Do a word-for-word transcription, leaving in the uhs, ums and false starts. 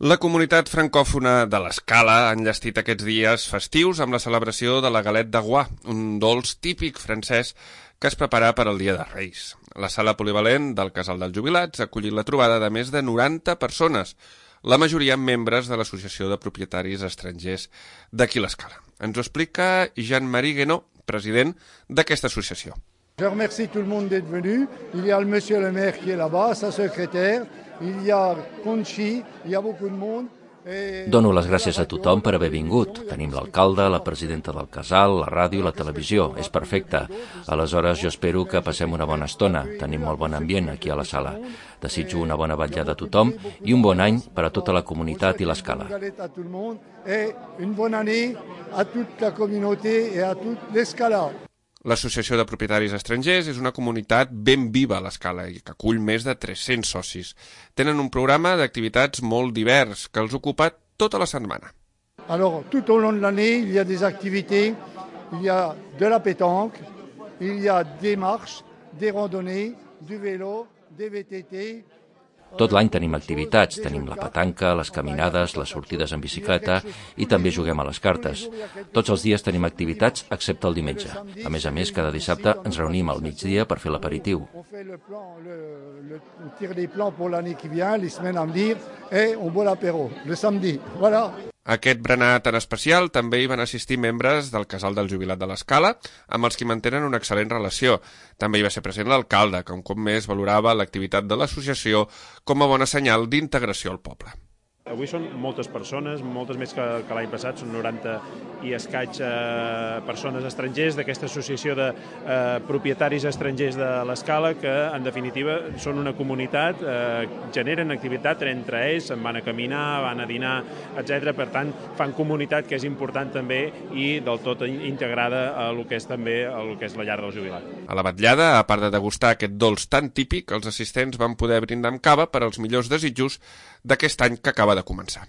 La comunitat francòfona de l'Escala ha enllestit aquests dies festius amb la celebració de la galette de Goix, un dolç típic francès que es prepara per al Dia de Reis. La sala polivalent del Casal dels Jubilats ha acollit la trobada de més de noranta persones, la majoria membres de l'Associació de Propietaris Estrangers d'aquí l'Escala. Ens ho explica Jean-Marie Guénot, president d'aquesta associació. Je remercie tout le monde d'être venu. Il y a le monsieur le maire qui est là-bas, sa secrétaire. Il y a Conchi, il y a beaucoup de monde. Dono les gràcies a tothom per haver vingut. Tenim l'alcalde, la presidenta del casal, la ràdio i la televisió. És perfecte. Aleshores, jo espero que passem una bona estona. Tenim molt bon ambient aquí a la sala. Desitjo una bona vetllada a tothom i un bon any per a tota la comunitat i l'Escala. Une bonne année à toute la communauté et à toute l'Escala. L'Associació de Propietaris Estrangers és una comunitat ben viva a l'Escala i que acull més de tres-cents socis. Tenen un programa d'activitats molt divers que els ocupa tota la setmana. Alors, tout au long de l'année, il y a des activités, il y a de la pétanque, il y a des marches, des randonnées, du vélo, des V T T. Tot l'any tenim activitats, tenim la petanca, les caminades, les sortides en bicicleta i també juguem a les cartes. Tots els dies tenim activitats excepte el diumenge. A més a més, cada dissabte ens reunim al migdia per fer l'aperitiu. On fait le plan, le, le, on tire des plans pour l'année qui vient, les semaines à venir, et on boit l'apéro le samedi. Voilà. A aquest berenar tan especial també hi van assistir membres del Casal del Jubilat de l'Escala, amb els qui mantenen una excel·lent relació. També hi va ser present l'alcalde, que un cop més valorava l'activitat de l'associació com a bona senyal d'integració al poble. Avui són moltes persones, moltes més que, que l'any passat, són noranta i escaig eh, persones estrangers d'aquesta associació de eh, propietaris estrangers de l'Escala que, en definitiva, són una comunitat, eh, generen activitat entre ells, se'n van a caminar, van a dinar, etcètera. Per tant, fan comunitat, que és important també i del tot integrada a lo que és també a lo que és la llar del jubilat. A la vetllada, a part de degustar aquest dolç tan típic, els assistents van poder brindar amb cava per als millors desitjos d'aquest any que acaba de començar.